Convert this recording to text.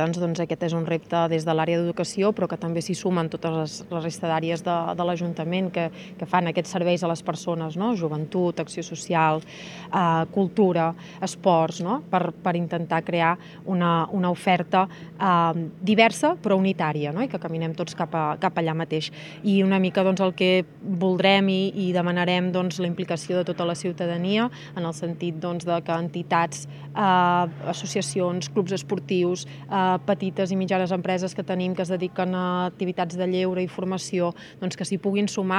Doncs aquest és un repte des de l'àrea d'educació, però que també s'hi sumen totes les resta d'àrees de l'Ajuntament que fan aquests serveis a les persones, no? Joventut, acció social, cultura, esports, no? Per intentar crear una oferta diversa però unitària, no? I que caminem tots cap allà mateix. I una mica doncs, el que voldrem i demanarem doncs, la implicació de tota la ciutadania en el sentit doncs, de que entitats, associacions, clubs esportius, petites i mitjanes empreses que tenim que es dediquen a activitats de lleure i formació, doncs que s'hi puguin sumar